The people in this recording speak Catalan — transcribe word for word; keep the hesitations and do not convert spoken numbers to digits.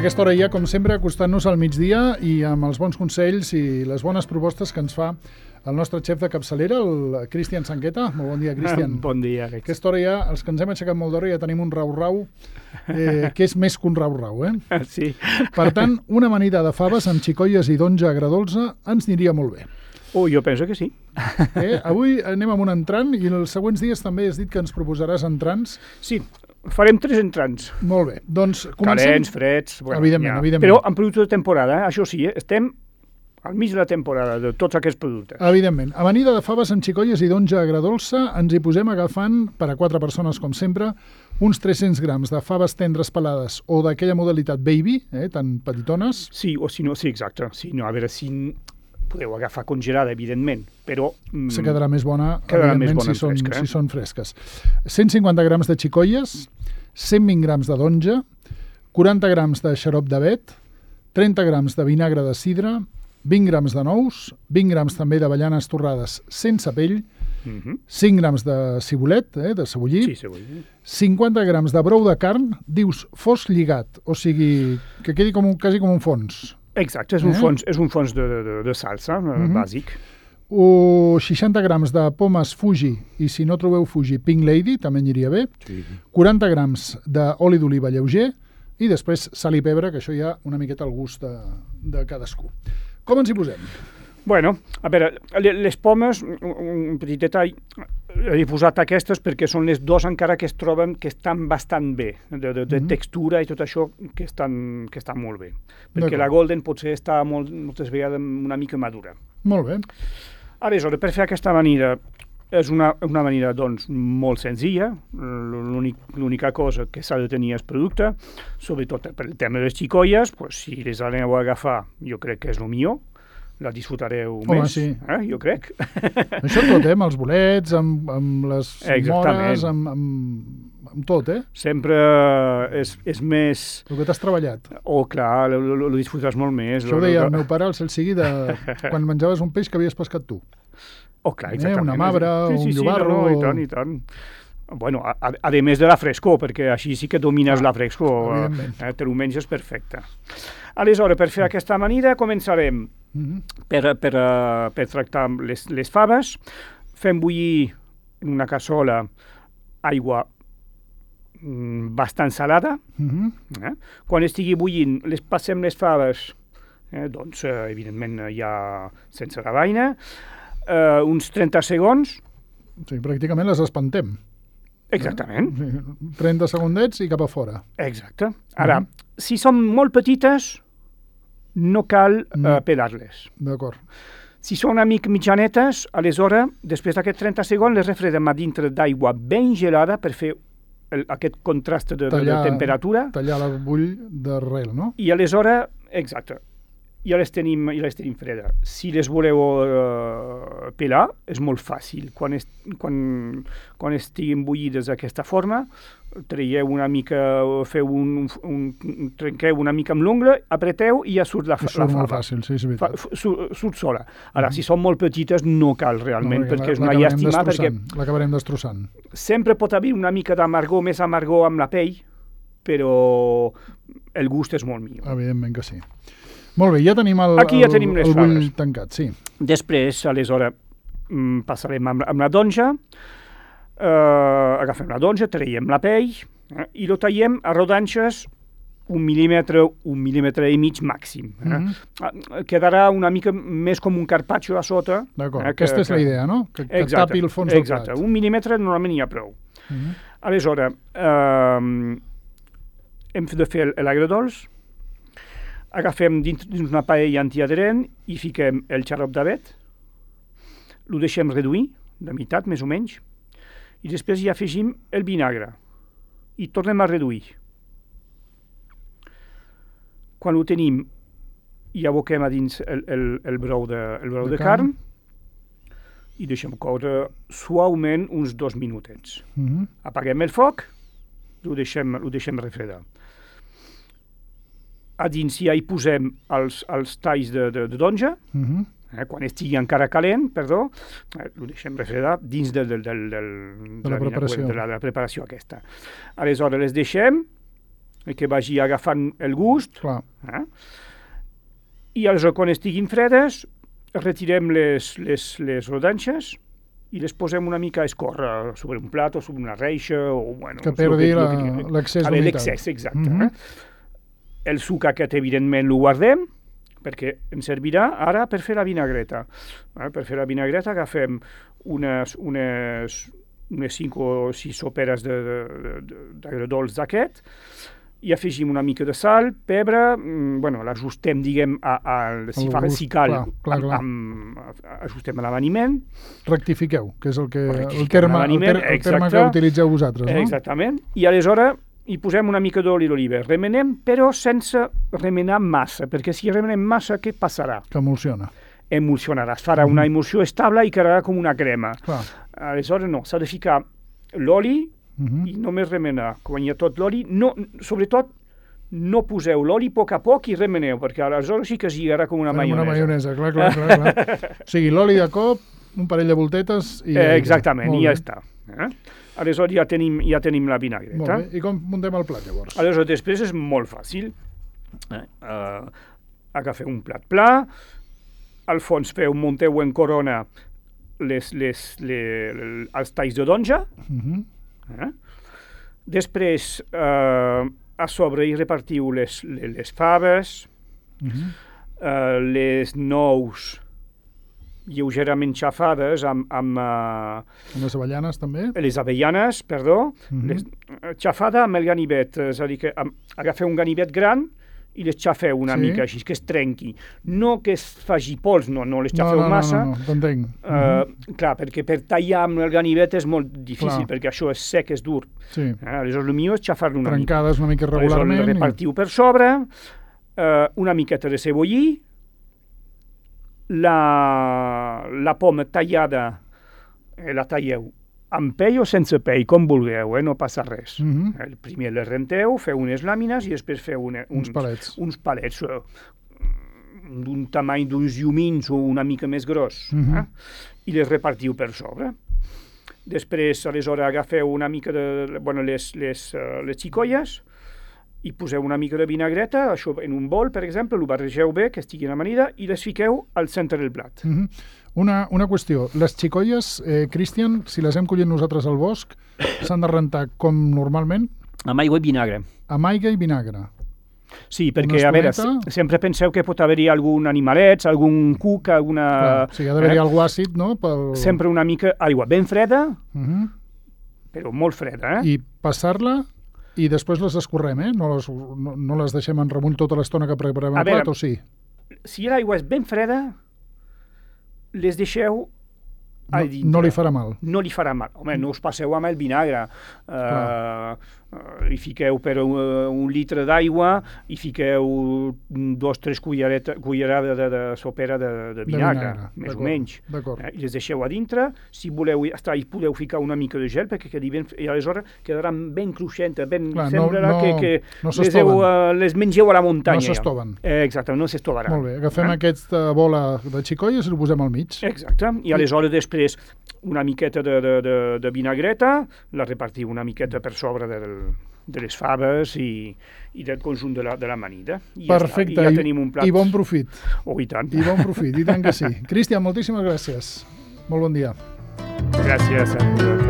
aquesta hora ja, com sempre, acostant-nos al migdia i amb els bons consells i les bones propostes que ens fa el nostre xef de capçalera, el Cristian Sanqueta. Molt bon dia, Cristian. Bon dia. A aquesta hora ja, els que ens hem aixecat molt d'hora, ja tenim un rau-rau, eh, que és més que un rau-rau, eh? Sí. Per tant, una amanida de faves amb xicoies i d'onja agradolça ens aniria molt bé. Oh, jo penso que sí. Eh? Avui anem amb un entrant i els següents dies també has dit que ens proposaràs entrants. Sí, farem tres entrants. Molt bé, doncs comencem. Calents, freds... Bueno, evidentment, ja. evidentment. Però amb producte de temporada, eh? Això sí, eh? Estem al mig de la temporada de tots aquests productes. Evidentment. Amanida de faves amb xicoies i d'onja agradolça, ens hi posem agafant, per a quatre persones com sempre, uns tres-cents grams de faves tendres pelades o d'aquella modalitat baby, eh, tan petitones. Sí, o si no, sí, exacte. Sí, no, a veure, si podeu agafar congelada, evidentment, però... Mm, se quedarà més bona, quedarà més evidentment, bona si, són, fresca, eh? si són fresques. cent cinquanta grams de xicoies, cent vint grams de d'onja, quaranta grams de xarop d'avet, trenta grams de vinagre de sidra, vint grams de nous, vint grams també d'avellanes torrades sense pell, mm-hmm. cinc grams de cibulet, eh, de cebollí, Sí, cebollí. cinquanta grams de brou de carn, dius fos lligat, o sigui, que quedi com un, quasi com un fons. Exacte, és un Eh? fons, és un fons de, de, de salsa, mm-hmm. bàsic. O seixanta grams de pomes Fuji, i si no trobeu Fuji, Pink Lady, també aniria bé. Sí. quaranta grams d'oli d'oliva lleuger i després sal i pebre, que això ja una miqueta al gust de, de cadascú. Com ens hi posem? Bueno, a veure, les pomes, un petit detall, he posat aquestes perquè són les dues encara que es troben que estan bastant bé, de, de, de Mm-hmm. textura i tot això, que estan, que estan molt bé. Perquè D'acord. la Golden potser està molt, moltes vegades una mica madura. Molt bé. Aleshores, per fer aquesta amanida, és una, una amanida doncs, molt senzilla. L'únic, l'única cosa que s'ha de tenir és producte, sobretot per el tema de les xicoies, pues, si les aneu a agafar, jo crec que és el millor. La disfrutareu Home, més, sí. eh? Jo crec. Això tot, eh? Amb els bolets, amb, amb les Exactament. mores, amb, amb, amb tot, eh? Sempre és, és més... El que t'has treballat. Oh, clar, lo, lo, lo disfrutes molt més. Això ho Lo- deia lo- el meu pare, el cel sigui, de quan menjaves un peix que havies pescat tu. Oh, clar, eh, exactament. una mabra, sí, sí, un sí, llobarro, No, no, o- i tant, i tant. Bueno, a, a, a més de la frescor, perquè així sí que domines Ah, la frescor, evidentment. eh, te ho menges perfecte. Aleshores, per fer aquesta amanida, començarem Mhm. per, per, uh, per tractar les, les faves. Fem bullir en una cassola aigua mm, bastant salada. Mhm. Eh? Quan estigui bullint, les passem les faves, eh? doncs, eh, evidentment, eh, ja sense la vaina, eh, uns trenta segons. Sí, pràcticament les espantem. Exactament. Sí, trenta segundets i cap a fora. Exacte. Ara, si són molt petites, no cal eh, Mm. pelar-les. D'acord. Si són una mica mitjanetes, aleshores, després d'aquests trenta segons, les refredem a dintre d'aigua ben gelada per fer el, aquest contrast de, de, de temperatura. Tallar la bull d'arrel, no? I aleshores, exacte, ja les tenim, ja les tenim fredes. Si les voleu uh, pelar, és molt fàcil. Quan, es, quan, quan estiguin bullides d'aquesta forma, traieu una mica, feu un, un, un trenqueu una mica amb l'ungla, apreteu i ja surt la, I la surt molt fava. fàcil, sí, és Fa, veritat. surt, surt sola. Ara, si són molt petites, no cal realment, No, perquè és la- una l'acabarem llàstima, perquè destrossant, l'acabarem destrossant. sempre pot haver una mica d'amargor, més amargor amb la pell, però el gust és molt millor. Evidentment que sí. Molt bé, ja tenim el, Aquí ja el, tenim les el bull faves. tancat, sí. Després, aleshores, mm, passarem amb, amb la donja, eh, agafem la donja, traiem la pell eh, i lo tallem a rodanxes un mil·límetre, un mil·límetre i mig màxim. Eh? Mhm. Quedarà una mica més com un carpaccio a sota. D'acord, eh, que- aquesta és la que- idea, no? Que, que Exacte, tapi el fons exacte. del plat. Un mil·límetre normalment hi ha prou. Mhm. Aleshores, eh, hem de fer l'agredolç, agafem dins, dins una paella antiadherent i fiquem el xarop d'avet, ho deixem reduir, de meitat més o menys, i després hi afegim el vinagre i tornem a reduir. Quan ho tenim, hi aboquem a dins el, el, el brou de, el brou De de, carn. carn i deixem coure suaument uns dos minutets. Mhm. Apaguem el foc, ho deixem, ho deixem refredar. A dins ja hi posem els, els talls de, de, de donja, Mhm. eh, quan estigui encara calent, perdó, eh, ho deixem refredar dins de, de, de, de, De la preparació. de la, de la preparació aquesta. Aleshores les deixem que vagi agafant el gust. Clar. Eh? I aleshores, quan estiguin fredes, retirem les, les, les rodanxes i les posem una mica a escórrer sobre un plat o sobre una reixa o, bueno... Que perdi l'excés d'humitat. L'excés, exacte. Mm -hmm. eh? El suc aquest, evidentment, lo guardem, perquè ens servirà ara per fer la vinagreta. Eh? Per fer la vinagreta agafem unes, unes, unes cinc o sis soperes d'agredolç d'aquest, i afegim una mica de sal, pebre, mmm, bueno, l'ajustem, diguem, a, a, si, fa, si cal, clar, clar, clar. Amb, amb, ajustem a l'aveniment. Rectifiqueu, que és el, que, el, terme, el, ter, el terme que utilitzeu vosaltres, no? Exactament, i aleshores hi posem una mica d'oli d'oliva, remenem, però sense remenar massa, perquè si remenem massa, què passarà? Que emulsiona. Emulsionarà, es farà mm. una emulsió estable i quedarà com una crema. Clar. Aleshores no, s'ha de ficar l'oli, Uh-huh. i només remenar. Quan hi ha tot l'oli, no, sobretot no poseu l'oli a poc a poc i remeneu, perquè aleshores sí que es lligarà com una Farem maionesa. Una maionesa, clar, clar, clar, clar. O sigui, l'oli de cop, un parell de voltetes i... Eh, exactament, i ja està. Eh? Aleshores ja tenim, ja tenim la vinagreta. Molt bé. I com muntem el plat, llavors? Aleshores, després és molt fàcil. Eh? Uh, agafeu un plat pla, al fons feu, munteu en corona les, les, les, els talls de donja, uh-huh. Eh? Després eh, a sobre hi repartiu les, les, les faves, uh-huh. eh, les nous lleugerament xafades amb... amb uh, les avellanes també? Les avellanes, perdó, uh-huh. les, xafada amb el ganivet, és a dir, que amb, agafeu un ganivet gran i les xafeu una sí. mica així, que es trenqui. No que es faci pols, no, no les xafeu no, no, massa. No, no, no, t'entenc. Uh, uh-huh. Clar, perquè per tallar amb el ganivet és molt difícil, clar. Perquè això és sec, és dur. Sí. Eh, aleshores, el millor és xafar-lo una Trencades mica. una mica regularment. Aleshores, repartiu i... per sobre, uh, una miqueta de cebollí, la, la poma tallada, eh, la talleu amb pell o sense pell, com vulgueu, eh? No passa res. Uh-huh. El primer les renteu, feu unes làmines i després feu una, uns, uns palets, uns palets uh, d'un tamany d'uns llumins o una mica més gros, uh-huh. eh? I les repartiu per sobre. Després, aleshores, agafeu una mica de... Bueno, les, les, uh, les xicolles i poseu una mica de vinagreta, això en un bol, per exemple, ho barregeu bé, que estigui amanida, i les fiqueu al centre del plat. Uh-huh. Una, una qüestió, les xicolles, eh, Cristian, si les hem collit nosaltres al bosc, s'han de rentar com normalment? Amb aigua i vinagre. Amb aigua i vinagre. Sí, perquè, a veure, sempre penseu que pot haver-hi algun animalet, algun cuc, alguna... Clar, sí, ha d'haver-hi eh? algú àcid, no? Pel... Sempre una mica aigua ben freda, uh-huh. però molt freda, eh? I passar-la i després les escorrem, eh? No les, no, no les deixem en remull tota l'estona que preparem el plat, o sí? Si l'aigua és ben freda, les deixeu a no, dintre. No li farà mal. No li farà mal. Home, no us passeu amb el vinagre. Uh, uh, hi fiqueu per uh, un litre d'aigua, hi fiqueu dos, tres cullerades de, de sopera de, de vinagre, de vinagre. Més o menys. Eh, I les deixeu a dintre. Si voleu estar, hi podeu ficar una mica de gel, perquè quedi ben... I aleshores quedaran ben cruixentes, ben... Clar, semblarà no, no, que, que no les, heu, uh, les mengeu a la muntanya. No s'estoven. Eh, exacte, no s'estovaran. Molt bé, agafem eh? aquesta bola de xicolles i ho posem al mig. Exacte, i aleshores després una miqueta de, de, de, de vinagreta, la repartiu una miqueta per sobre del, de les faves i, i del conjunt de la, de l'amanida. I perfecte, ja, i ja tenim un plat. I bon profit. Oh, i tant. I bon profit, i tant que sí. Cristian, moltíssimes gràcies. Molt bon dia. Gràcies a